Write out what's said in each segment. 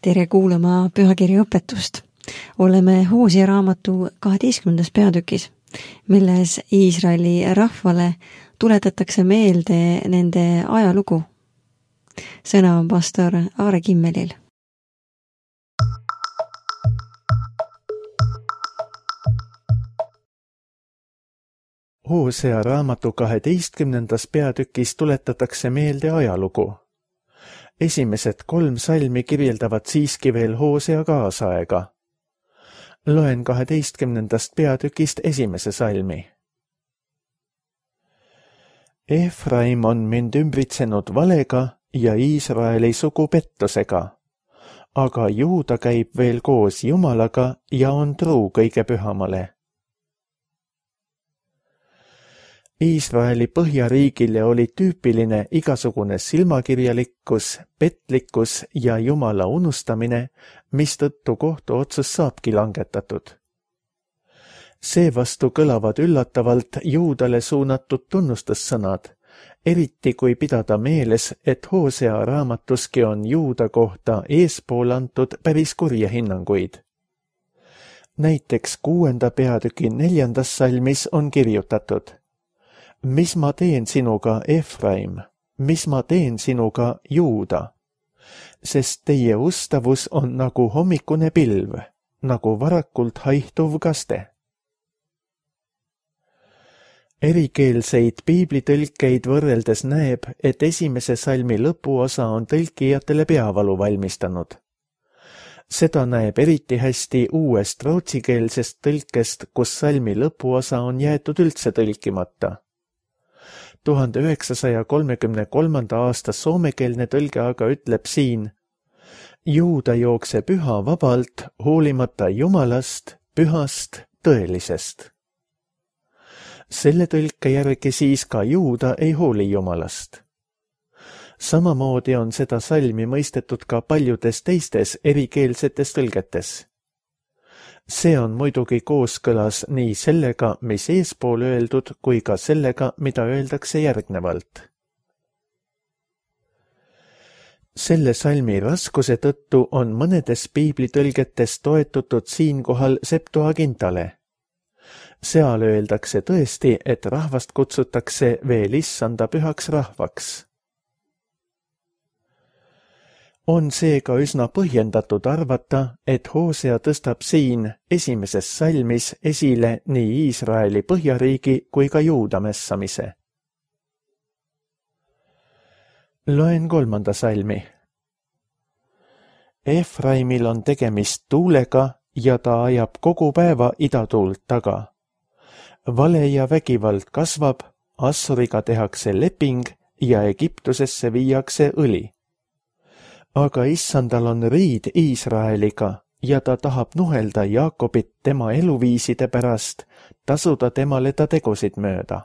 Tere kuulama pühakirja õpetust. Oleme Hoosea raamatu 12. peatükis, milles Iisraeli rahvale tuletatakse meelde nende ajalugu. Sõna on pastor Aare Kimmelil. Hoosea raamatu 12. peatükis tuletatakse meelde ajalugu. Esimesed 3 salmi kirjeldavad siiski veel Hoosea kaasaega. Loen 12. peatükist 1. salmi. Efraim on mind ümbritsenud valega ja Iisraeli sugu pettusega, aga Juuda käib veel koos Jumalaga ja on truu kõige pühamale. Iisraeli põhjariigile oli tüüpiline igasugune silmakirjalikkus, petlikkus ja Jumala unustamine, mistõttu kohtuotsus saabki langetatud. Seevastu kõlavad üllatavalt Juudale suunatud tunnustussõnad, eriti kui pidada meeles, et Hoosea raamatuski on Juuda kohta eespool antud päris kurja hinnanguid. Näiteks 6. peatüki 4. salmis on kirjutatud: Mis ma teen sinuga, Efraim? Mis ma teen sinuga, Juuda? Sest teie ustavus on nagu hommikune pilv, nagu varakult haihtuv kaste. Erikeelseid piiblitõlkeid võrreldes näeb, et 1. salmi lõpuosa on tõlkijatele peavalu valmistanud. Seda näeb eriti hästi uuest rootsikeelsest tõlkest, kus salmi lõpuosa on jäetud üldse tõlkimata. 1933. aasta soomekeelne tõlge aga ütleb siin: Juuda jookseb üha vabalt, hoolimata Jumalast, pühast, tõelisest. Selle tõlke järgi siis ka Juuda ei hooli Jumalast. Samamoodi on seda salmi mõistetud ka paljudes teistes erikeelsetes tõlgetes. See on muidugi kooskõlas nii sellega, mis eespool öeldud, kui ka sellega, mida öeldakse järgnevalt. Selle salmi raskuse tõttu on mõnedes piiblitõlgetes toetutud siinkohal Septuagintale. Seal öeldakse tõesti, et rahvast kutsutakse veel issanda pühaks rahvaks. On seega üsna põhjendatud arvata, et Hoosea tõstab siin 1. salmis esile nii Iisraeli põhjariigi kui ka Juuda mässamise. Loen 3. salmi. Efraimil on tegemist tuulega ja ta ajab kogu päeva idatuult taga. Vale ja vägivald kasvab, Assuriga tehakse leping ja Egiptusesse viiakse õli. Aga issandal on riid Iisraeliga ja ta tahab nuhelda Jaakobit tema eluviiside pärast, tasuda temale ta tegusid mööda.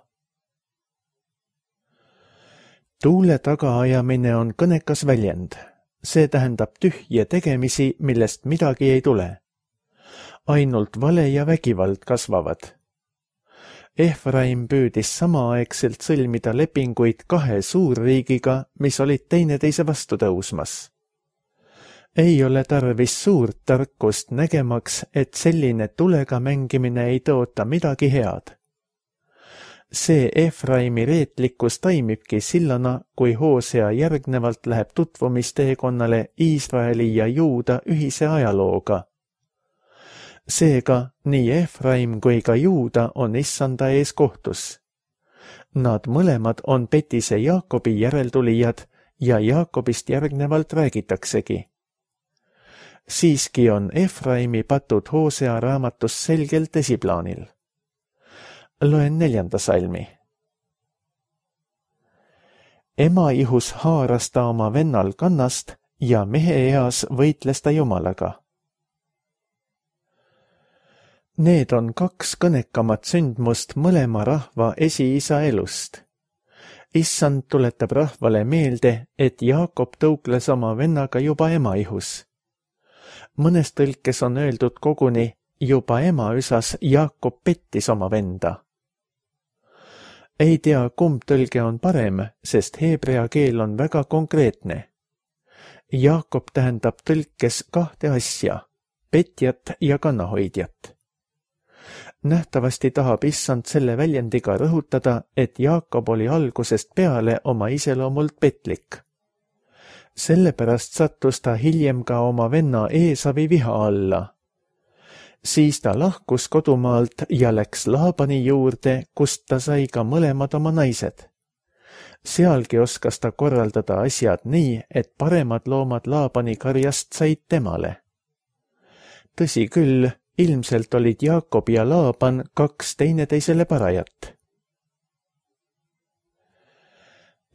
Tuule tagaajamine on kõnekas väljend. See tähendab tühje tegemisi, millest midagi ei tule. Ainult vale ja vägivald kasvavad. Efraim püüdis samaaegselt sõlmida lepinguid 2 suurriigiga, mis olid teineteise vastu tõusmas. Ei ole tarvis suurt tarkust nägemaks, et selline tulega mängimine ei toota midagi head. See Efraimi reetlikkus taimibki sillana, kui Hoosea järgnevalt läheb tutvumisteekonnale Iisraeli ja Juuda ühise ajalooga. Seega nii Efraim kui ka Juuda on issanda ees kohtus. Nad mõlemad on petise Jaakobi järeltulijad ja Jaakobist järgnevalt räägitaksegi. Siiski on Efraimi patud Hoosea raamatus selgelt esiplaanil. Loen 4. salmi. Ema ihus haaras ta oma vennal kannast ja mehe eas võitles ta Jumalaga. Need on 2 kõnekamat sündmust mõlema rahva esiisa elust. Issand tuletab rahvale meelde, et Jaakob tõukles oma vennaga juba ema ihus. Mõnes tõlkes on öeldud koguni, juba ema üsas Jaakob pettis oma venda. Ei tea, kumb tõlge on parem, sest heebrea keel on väga konkreetne. Jaakob tähendab tõlkes kahte asja, petjat ja kannahoidjat. Nähtavasti tahab issand selle väljendiga rõhutada, et Jaakob oli algusest peale oma iseloomult petlik. Sellepärast sattus ta hiljem ka oma venna Eesavi viha alla. Siis ta lahkus kodumaalt ja läks Laabani juurde, kust ta sai ka mõlemad oma naised. Sealgi oskas ta korraldada asjad nii, et paremad loomad Laabani karjast said temale. Tõsi küll, ilmselt olid Jaakob ja Laaban kaks teineteisele parajat.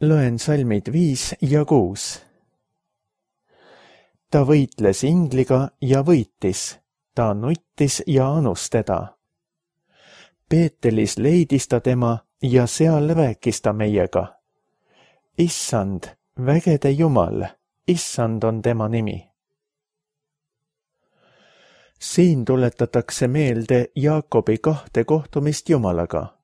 Loen salmid 5 ja 6. Ta võitles ingliga ja võitis, ta nuttis ja anus teda. Peetelis leidis ta tema ja seal rääkis ta meiega. Issand, vägede Jumal, issand on tema nimi. Siin tuletatakse meelde Jaakobi kahte kohtumist Jumalaga.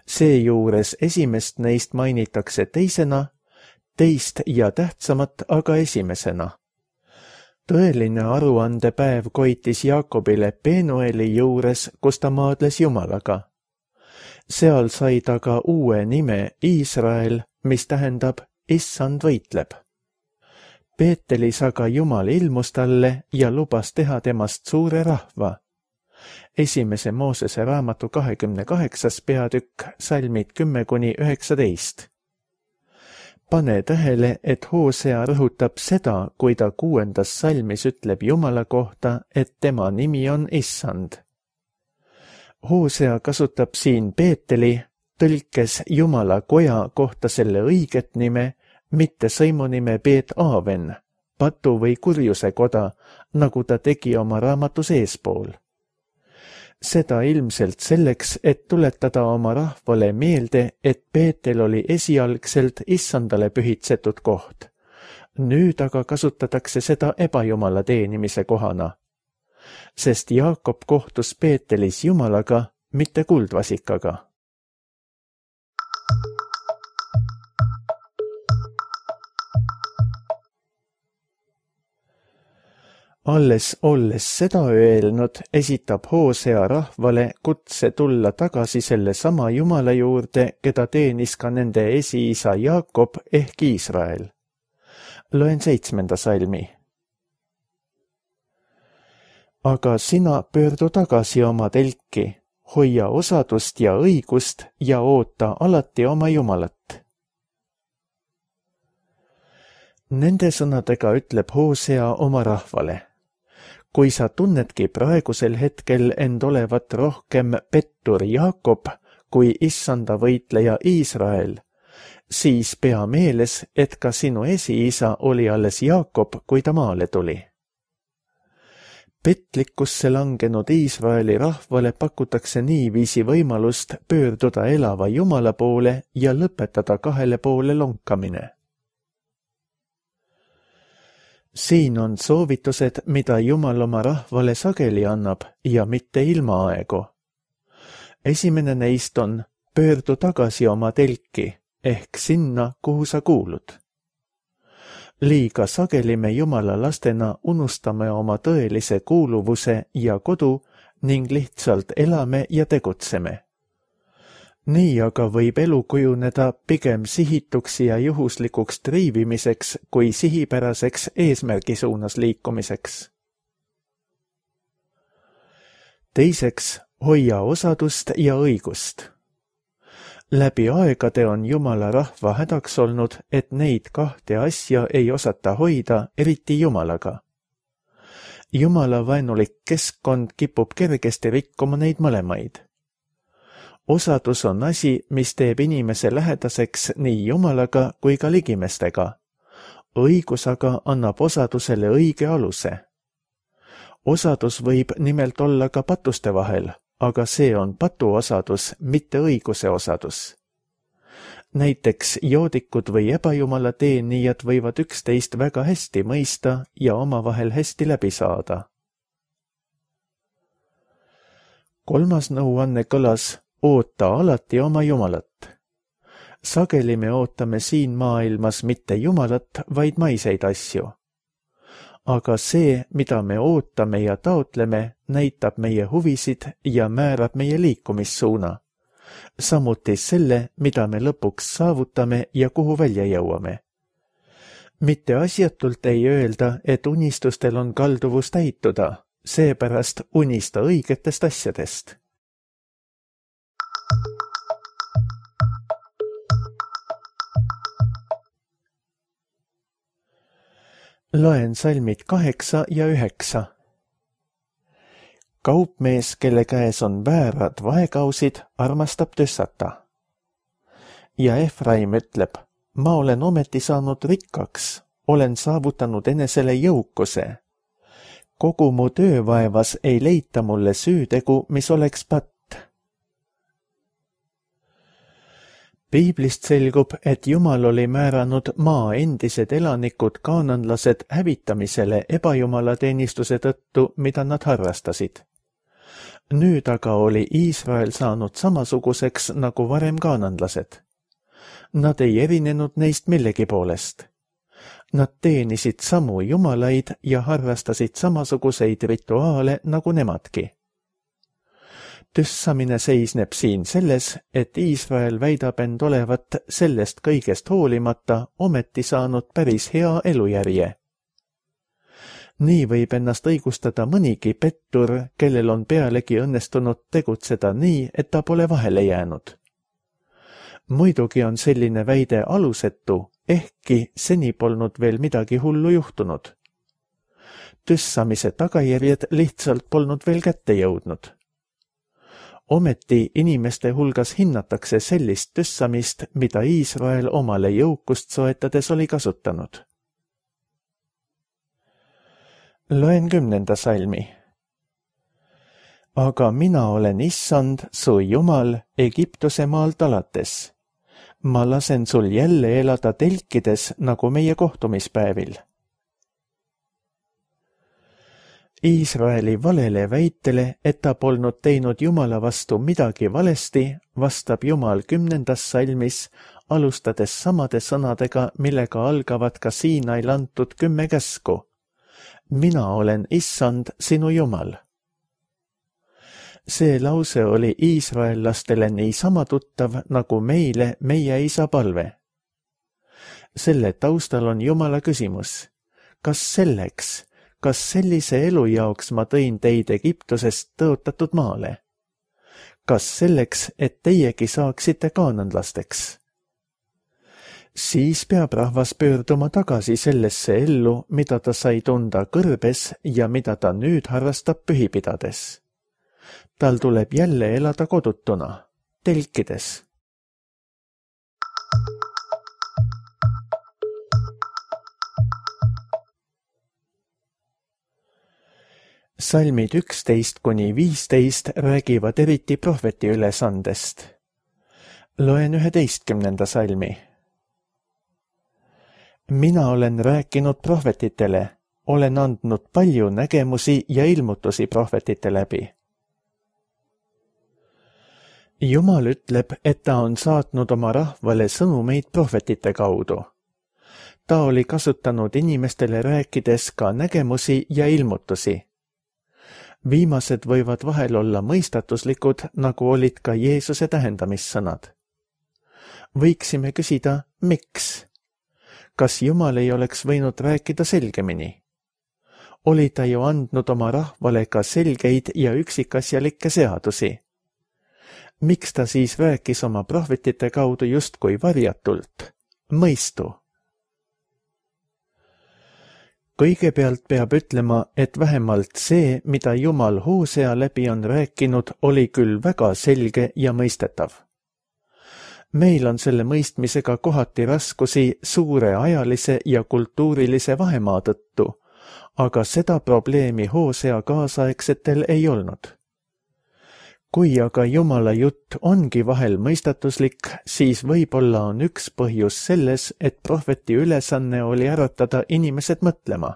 Seejuures esimest neist mainitakse teisena, teist ja tähtsamat aga esimesena. Tõeline aruandepäev koitis Jaakobile Penueli juures, kus ta maadles Jumalaga. Seal sai ta ka uue nime Iisrael, mis tähendab issand võitleb. Peetelis aga Jumal ilmus talle ja lubas teha temast suure rahva. Esimese Moosese raamatu 28. peatükk, salmid 10–19. Pane tähele, et Hoosea rõhutab seda, kui ta 6. salmis ütleb Jumala kohta, et tema nimi on issand. Hoosea kasutab siin Peeteli, tõlkes Jumala koja kohta selle õiget nime, mitte sõimunime Peet Aaven, patu või kurjuse koda, nagu ta tegi oma raamatus eespool. Seda ilmselt selleks, et tuletada oma rahvale meelde, et Peetel oli esialgselt issandale pühitsetud koht. Nüüd aga kasutatakse seda ebajumala teenimise kohana. Sest Jaakob kohtus Peetelis Jumalaga, mitte kuldvasikaga. Alles olles seda öelnud, esitab Hoosea rahvale kutse tulla tagasi selle sama Jumala juurde, keda teenis ka nende esiisa Jaakob ehk Iisrael. Loen 7. salmi. Aga sina pöördu tagasi oma telki, hoia osadust ja õigust ja oota alati oma Jumalat. Nende sõnadega ütleb Hoosea oma rahvale. Kui sa tunnedki praegusel hetkel end olevat rohkem pettur Jaakob kui issanda võitleja Iisrael, siis pea meeles, et ka sinu esiisa oli alles Jaakob, kui ta maale tuli. Petlikkusse langenud Iisraeli rahvale pakutakse niiviisi võimalust pöörduda elava Jumala poole ja lõpetada kahele poole lonkamine. Siin on soovitused, mida Jumal oma rahvale sageli annab ja mitte ilmaaegu. Esimene neist on pöördu tagasi oma telki ehk sinna, kuhu sa kuulud. Liiga sageli me Jumala lastena unustame oma tõelise kuuluvuse ja kodu ning lihtsalt elame ja tegutseme. Nii aga võib elu kujuneda pigem sihituks ja juhuslikuks triivimiseks kui sihipäraseks eesmärgi suunas liikumiseks. Teiseks, hoia osadust ja õigust. Läbi aegade on Jumala rahva hädaks olnud, et neid kahte asja ei osata hoida, eriti Jumalaga. Jumala vaenulik keskkond kipub kergesti rikkuma neid mõlemaid. Osadus on asi, mis teeb inimese lähedaseks nii Jumalaga kui ka ligimestega. Õigus aga annab osadusele õige aluse. Osadus võib nimelt olla ka patuste vahel, aga see on patuosadus, mitte õiguse osadus. Näiteks joodikud või ebajumala teenijad võivad üksteist väga hästi mõista ja omavahel hästi läbi saada. 3. nõuanne kõlas: oota alati oma Jumalat. Sageli me ootame siin maailmas mitte Jumalat, vaid maiseid asju. aga see, mida me ootame ja taotleme, näitab meie huvisid ja määrab meie liikumissuuna. Samuti selle, mida me lõpuks saavutame ja kuhu välja jõuame. Mitte asjatult ei öelda, et unistustel on kalduvus täituda, seepärast unista õigetest asjadest. Loen salmid 8 ja 9. Kaupmees, kelle käes on väärad vaekausid, armastab tössata. Ja Efraim ütleb, ma olen ometi saanud rikkaks, olen saavutanud enesele jõukuse. Kogu mu töövaevas ei leita mulle süütegu, mis oleks patt. Piiblist selgub, et Jumal oli määranud maa endised elanikud kaananlased hävitamisele ebajumalateenistuse tõttu, mida nad harrastasid. Nüüd aga oli Iisrael saanud samasuguseks nagu varem kaananlased. Nad ei erinenud neist millegi poolest. Nad teenisid samu jumalaid ja harrastasid samasuguseid rituaale nagu nemadki. Tüssamine seisneb siin selles, et Iisrael väidab end olevat sellest kõigest hoolimata ometi saanud päris hea elujärje. Nii võib ennast õigustada mõnigi pettur, kellel on pealegi õnnestunud tegutseda nii, et ta pole vahele jäänud. Muidugi on selline väide alusetu, ehkki seni polnud veel midagi hullu juhtunud. Tüssamise tagajärjed lihtsalt polnud veel kätte jõudnud. Ometi inimeste hulgas hinnatakse sellist tüssamist, mida Iisrael omale jõukust soetades oli kasutanud. Loen 10. salmi. Aga mina olen Issand, su Jumal, Egiptuse maalt alates. Ma lasen sul jälle elada telkides nagu meie kohtumispäevil. Iisraeli valele väitele, et ta polnud teinud Jumala vastu midagi valesti, vastab Jumal 10. salmis, alustades samade sõnadega, millega algavad ka Siinail antud 10 käsku. Mina olen Issand, sinu Jumal. See lause oli iisraellastele niisama tuttav nagu meile meie isa palve. Selle taustal on Jumala küsimus. Kas selleks, kas sellise elu jaoks ma tõin teid Egiptusest tõotatud maale? Kas selleks, et teiegi saaksite kaananlasteks? Siis peab rahvas pöörduma tagasi sellesse ellu, mida ta sai tunda kõrbes ja mida ta nüüd harrastab pühipidades. Tal tuleb jälle elada kodutuna, telkides. Salmid 11–15 räägivad eriti prohveti ülesandest. Loen 11. salmi. Mina olen rääkinud prohvetitele, olen andnud palju nägemusi ja ilmutusi prohvetite läbi. Jumal ütleb, et ta on saatnud oma rahvale sõnumeid prohvetite kaudu. Ta oli kasutanud inimestele rääkides ka nägemusi ja ilmutusi. Viimased võivad vahel olla mõistatuslikud, nagu olid ka Jeesuse tähendamissõnad. Võiksime küsida, miks? Kas Jumal ei oleks võinud rääkida selgemini? Oli ta ju andnud oma rahvale ka selgeid ja üksikasjalikke seadusi. Miks ta siis rääkis oma prohvetite kaudu justkui varjatult? Mõistu. Kõigepealt peab ütlema, et vähemalt see, mida Jumal Hosea läbi on rääkinud, oli küll väga selge ja mõistetav. Meil on selle mõistmisega kohati raskusi suure ajalise ja kultuurilise vahemaa tõttu, aga seda probleemi Hosea kaasaegsetel ei olnud. Kui aga Jumala jutt ongi vahel mõistatuslik, siis võib-olla on üks põhjus selles, et prohveti ülesanne oli äratada inimesed mõtlema.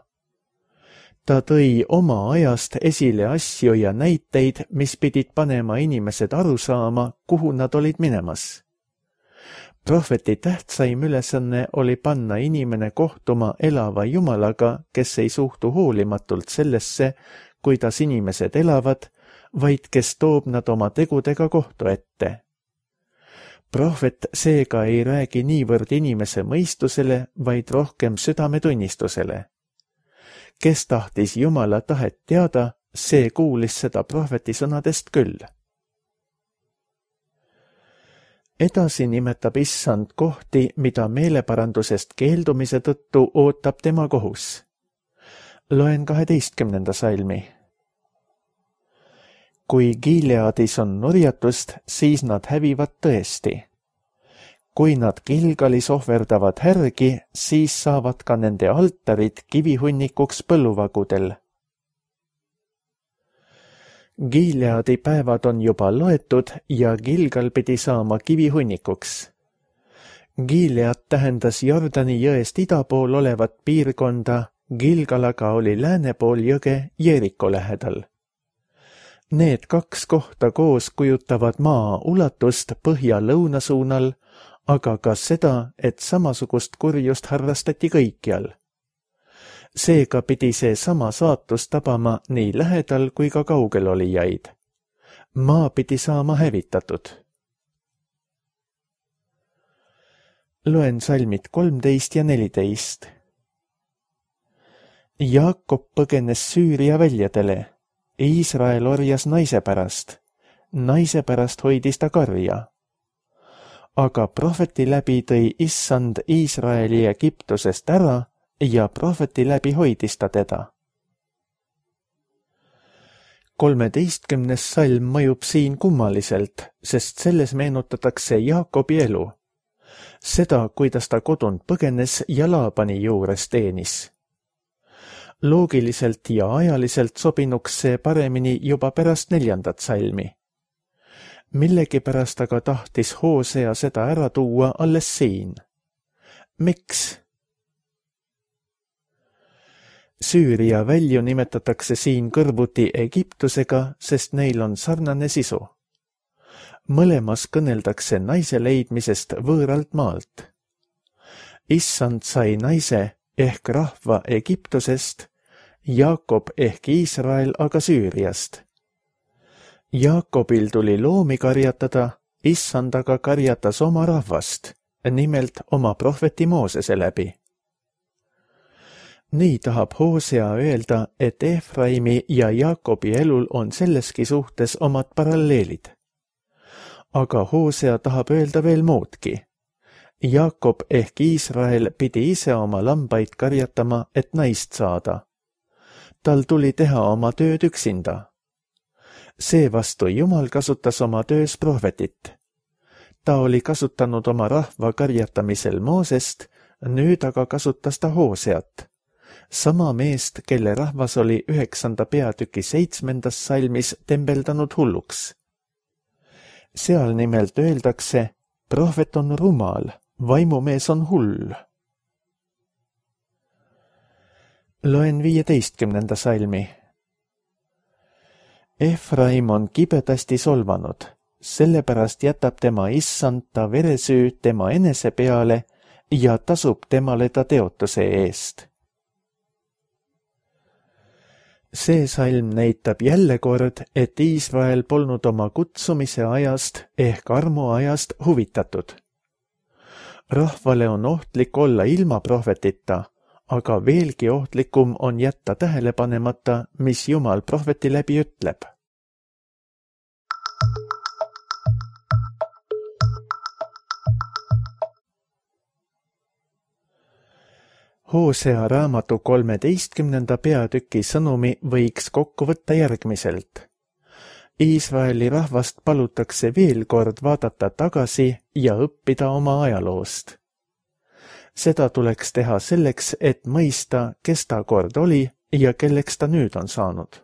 Ta tõi oma ajast esile asju ja näiteid, mis pidid panema inimesed aru saama, kuhu nad olid minemas. Prohveti tähtsaim ülesanne oli panna inimene kohtuma elava Jumalaga, kes ei suhtu hoolimatult sellesse, kuidas inimesed elavad, vaid kes toob nad oma tegudega kohtu ette. Prohvet seega ei räägi niivõrd inimese mõistusele, vaid rohkem südametunnistusele. Kes tahtis Jumala tahet teada, see kuulis seda prohveti sõnadest küll. Edasi nimetab issand kohti, mida meeleparandusest keeldumise tõttu ootab tema kohus. Loen 12. salmi. Kui Gileadis on nurjatust, siis nad hävivad tõesti. Kui nad Gilgalis ohverdavad härgi, siis saavad ka nende altarid kivihunnikuks põlluvagudel. Gileadi päevad on juba loetud ja Gilgal pidi saama kivihunnikuks. Gilead tähendas Jordani jõest ida pool olevat piirkonda, Gilgal aga oli lääne pool jõge Jeeriko lähedal. Need kaks kohta koos kujutavad maa ulatust põhja-lõuna suunal, aga ka seda, et samasugust kurjust harrastati kõikjal. Seega pidi see sama saatus tabama nii lähedal kui ka kaugel olijaid. Maa pidi saama hävitatud. Loen salmid 13 ja 14. Jaakob põgenes Süüria väljadele. Iisrael orjas naise pärast hoidis ta karja. Aga prohveti läbi tõi issand Iisraeli Egiptusest ära ja prohveti läbi hoidis ta teda. 13. salm mõjub siin kummaliselt, sest selles meenutatakse Jaakobi elu. Seda, kuidas ta kodunt põgenes ja Laabani juures teenis. Loogiliselt ja ajaliselt sobinuks see paremini juba pärast 4. salmi. Millegipärast aga tahtis Hoosea seda ära tuua alles siin. Miks? Süüria välju nimetatakse siin kõrvuti Egiptusega, sest neil on sarnane sisu. Mõlemas kõneldakse naise leidmisest võõralt maalt. Issand sai naise ehk rahva Egiptusest, Jaakob ehk Iisrael aga Süüriast. Jaakobil tuli loomi karjatada, issand aga karjatas oma rahvast, nimelt oma prohveti Moosese läbi. Nii tahab Hoosea öelda, et Efraimi ja Jaakobi elul on selleski suhtes omad paralleelid. Aga Hoosea tahab öelda veel muudki. Jaakob ehk Iisrael pidi ise oma lambaid karjatama, et naist saada. Tal tuli teha oma tööd üksinda. Seevastu Jumal kasutas oma töös prohvetit. Ta oli kasutanud oma rahva karjatamisel Moosest, nüüd aga kasutas ta Hooseat. Sama meest, kelle rahvas oli 9. peatüki 7. salmis tembeldanud hulluks. Seal nimelt öeldakse, prohvet on rumal, vaimumees on hull. Loen 15. salmi. Efraim on kibedasti solvanud, sellepärast jätab tema issand ta veresüü tema enese peale ja tasub temale ta teotuse eest. See salm näitab jälle kord, et Iisrael polnud oma kutsumise ajast ehk armuajast huvitatud. Rahvale on ohtlik olla ilma prohvetita, aga veelgi ohtlikum on jätta tähele panemata, mis Jumal prohveti läbi ütleb. Hoosea raamatu 13. peatüki sõnumi võiks kokku võtta järgmiselt. Iisraeli rahvast palutakse veel kord vaadata tagasi ja õppida oma ajaloost. Seda tuleks teha selleks, et mõista, kes ta kord oli ja kelleks ta nüüd on saanud.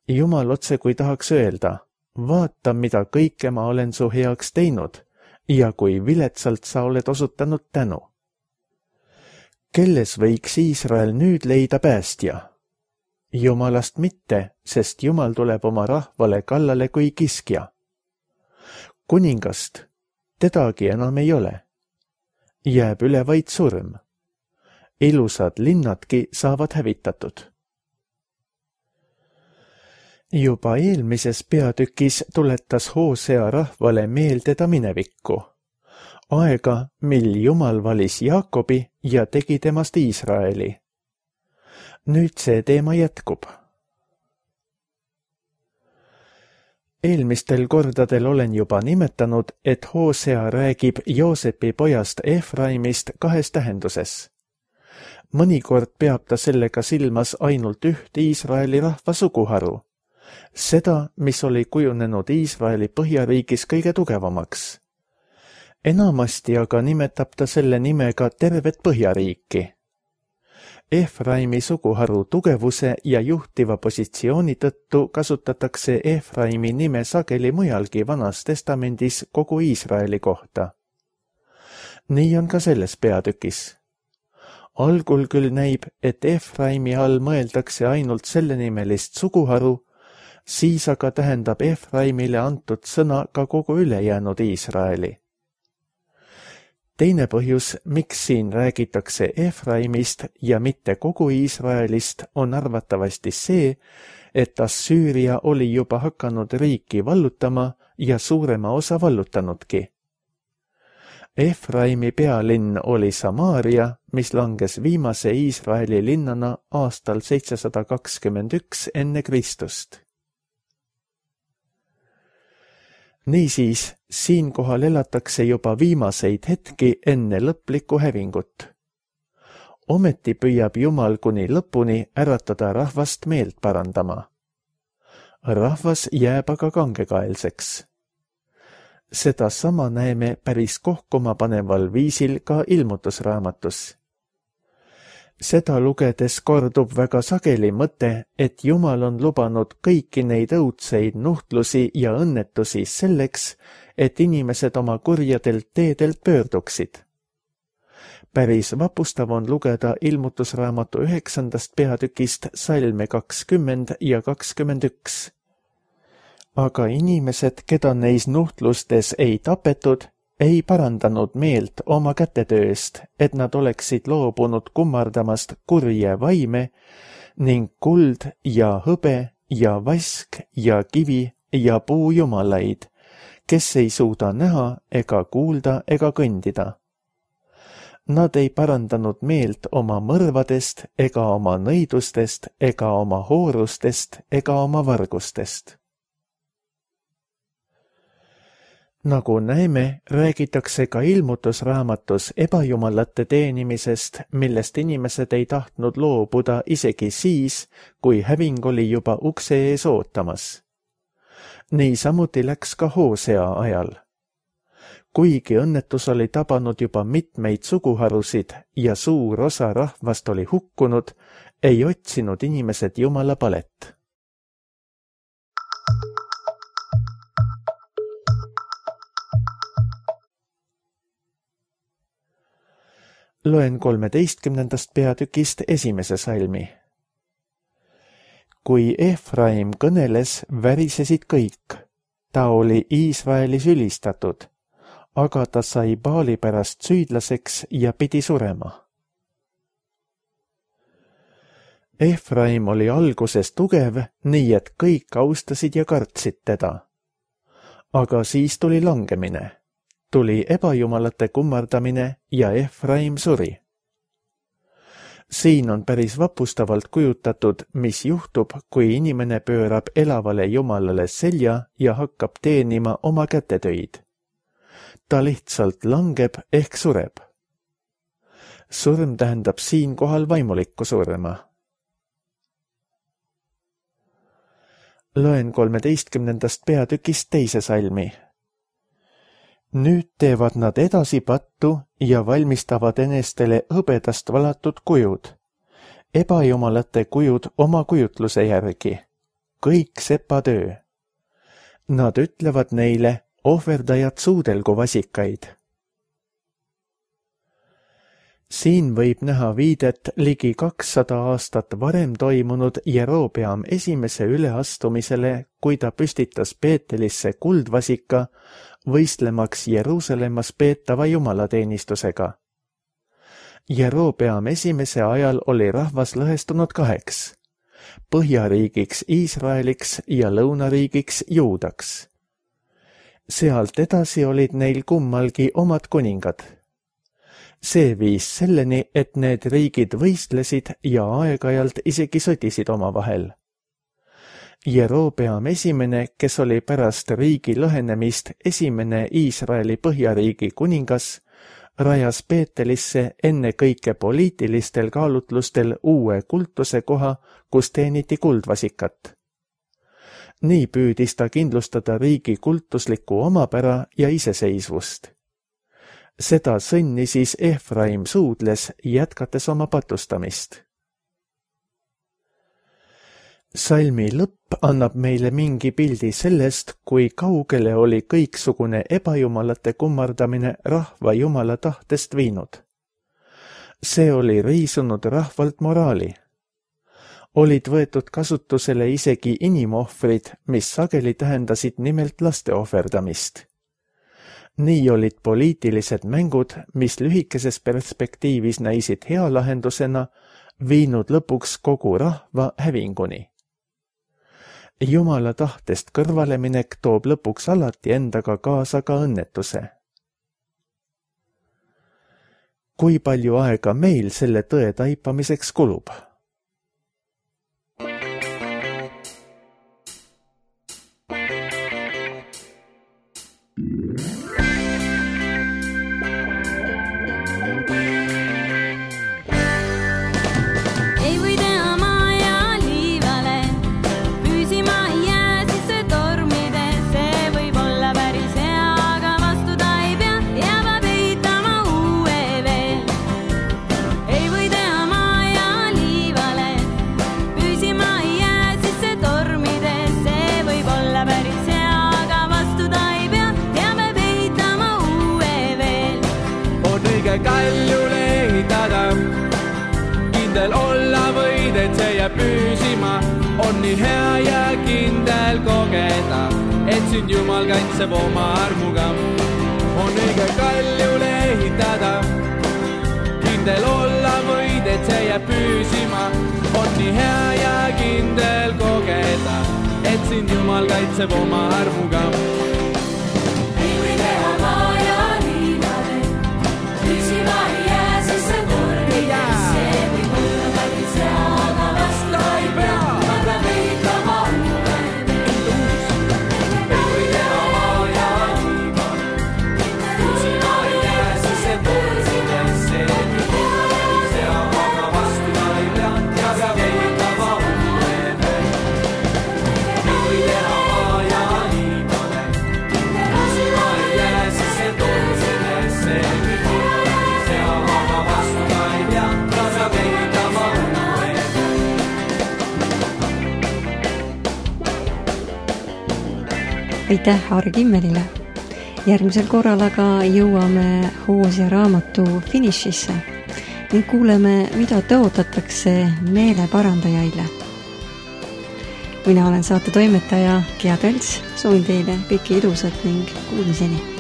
Jumal otse kui tahaks öelda, vaata, mida kõike ma olen su heaks teinud ja kui viletsalt sa oled osutanud tänu. Kelles võiks Iisrael nüüd leida päästja? Jumalast mitte, sest Jumal tuleb oma rahvale kallale kui kiskja. Kuningast, tedagi enam ei ole. Jääb üle vaid surm. Ilusad linnadki saavad hävitatud. Juba eelmises peatükis tuletas Hosea rahvale meelde ta minevikku. Aega, mil Jumal valis Jaakobi ja tegi temast Iisraeli. Nüüd see teema jätkub. Eelmistel kordadel olen juba nimetanud, et Hosea räägib Joosepi pojast Efraimist kahes tähenduses. Mõnikord peab ta sellega silmas ainult üht Iisraeli rahva suguharu. Seda, mis oli kujunenud Iisraeli põhjariigis kõige tugevamaks. Enamasti aga nimetab ta selle nimega tervet põhjariiki. Efraimi suguharu tugevuse ja juhtiva positsiooni tõttu kasutatakse Efraimi nime sageli mujalgi Vanas Testamendis kogu Iisraeli kohta. Nii on ka selles peatükis. Algul küll näib, et Efraimi all mõeldakse ainult sellenimelist suguharu, siis aga tähendab Efraimile antud sõna ka kogu ülejäänud Iisraeli. Teine põhjus, miks siin räägitakse Efraimist ja mitte kogu Iisraelist, on arvatavasti see, et Assüüria oli juba hakanud riiki vallutama ja suurema osa vallutanudki. Efraimi pealinn oli Samaaria, mis langes viimase Iisraeli linnana aastal 721 enne Kristust. Niisiis, siinkohal elatakse juba viimaseid hetki enne lõplikku hävingut. Ometi püüab Jumal kuni lõpuni äratada rahvast meelt parandama. Rahvas jääb aga kangekaelseks. Seda sama näeme päris kohkumapaneval viisil ka ilmutusraamatus. Seda lugedes kordub väga sageli mõte, et Jumal on lubanud kõiki neid õudseid nuhtlusi ja õnnetusi selleks, et inimesed oma kurjadelt teedelt pöörduksid. Päris vapustav on lugeda ilmutusraamatu 9. peatükist salme 20 ja 21. Aga inimesed, keda neis nuhtlustes ei tapetud, ei parandanud meelt oma kätetööst, et nad oleksid loobunud kummardamast kurje vaime ning kuld ja hõbe ja vask ja kivi ja puujumalaid, kes ei suuda näha ega kuulda ega kõndida. Nad ei parandanud meelt oma mõrvadest ega oma nõidustest ega oma hoorustest ega oma vargustest. Nagu näeme, räägitakse ka ilmutusraamatus ebajumalate teenimisest, millest inimesed ei tahtnud loobuda isegi siis, kui häving oli juba ukse ees ootamas. Niisamuti läks ka Hosea ajal. Kuigi õnnetus oli tabanud juba mitmeid suguharusid ja suur osa rahvast oli hukkunud, ei otsinud inimesed Jumala palet. Loen 13. peatükist esimese salmi. Kui Efraim kõneles, värisesid kõik. Ta oli Iisraelis ülistatud, aga ta sai Baali pärast süüdlaseks ja pidi surema. Efraim oli alguses tugev, nii et kõik austasid ja kartsid teda. Aga siis tuli langemine. Tuli ebajumalate kummardamine ja Efraim suri. Siin on päris vapustavalt kujutatud, mis juhtub, kui inimene pöörab elavale Jumalale selja ja hakkab teenima oma kätetöid. Ta lihtsalt langeb ehk sureb. Surm tähendab siinkohal vaimulikku surma. Loen 13. peatükist teise salmi. Nüüd teevad nad edasi pattu ja valmistavad enestele hõbedast valatud kujud. Ebajumalate kujud oma kujutluse järgi. Kõik sepatöö. Nad ütlevad neile, ohverdajad suudelgu vasikaid. Siin võib näha viidet ligi 200 aastat varem toimunud Jerobeam esimese üleastumisele, kui ta püstitas Peetelisse kuldvasika, võistlemaks Jeruusalemmas peetava jumalateenistusega. Jerobeam esimese ajal oli rahvas lõhestunud 2, põhjariigiks Iisraeliks ja lõunariigiks Juudaks. Sealt edasi olid neil kummalgi omad kuningad. See viis selleni, et need riigid võistlesid ja aeg-ajalt isegi sõdisid omavahel. Jerobeam esimene, kes oli pärast riigi lõhenemist esimene Iisraeli põhjariigi kuningas, rajas Peetelisse enne kõike poliitilistel kaalutlustel uue kultuse koha, kus teeniti kuldvasikat. Nii püüdis ta kindlustada riigi kultuslikku omapära ja iseseisvust. Seda sõnni siis Efraim suudles, jätkates oma patustamist. Salmi lõpp annab meile mingi pildi sellest, kui kaugele oli kõiksugune ebajumalate kummardamine rahva jumala tahtest viinud. See oli riisunud rahvalt moraali. Olid võetud kasutusele isegi inimohvrid, mis sageli tähendasid nimelt laste ohverdamist. Nii olid poliitilised mängud, mis lühikeses perspektiivis näisid hea lahendusena, viinud lõpuks kogu rahva hävinguni. Jumala tahtest kõrvaleminek toob lõpuks alati endaga kaasa ka õnnetuse. Kui palju aega meil selle tõe taipamiseks kulub? Kaljule ehitada, kindel olla võid, et see jääb püsima. On nii hea ja kindel kogeda, et sind Jumal kaitseb oma armuga. On õige kaljule ehitada, kindel olla võid, et see jääb püsima. On nii hea ja kindel kogeda, et sind Jumal kaitseb oma armuga. Aitäh Aare Kimmelile. Järgmisel korral aga jõuame Hoosia raamatu finišisse ning kuuleme, mida tõotatakse meeleparandajaile. Mina olen saate toimetaja Gea Tölts, soovin teile kõike ilusat ning kuulmiseni.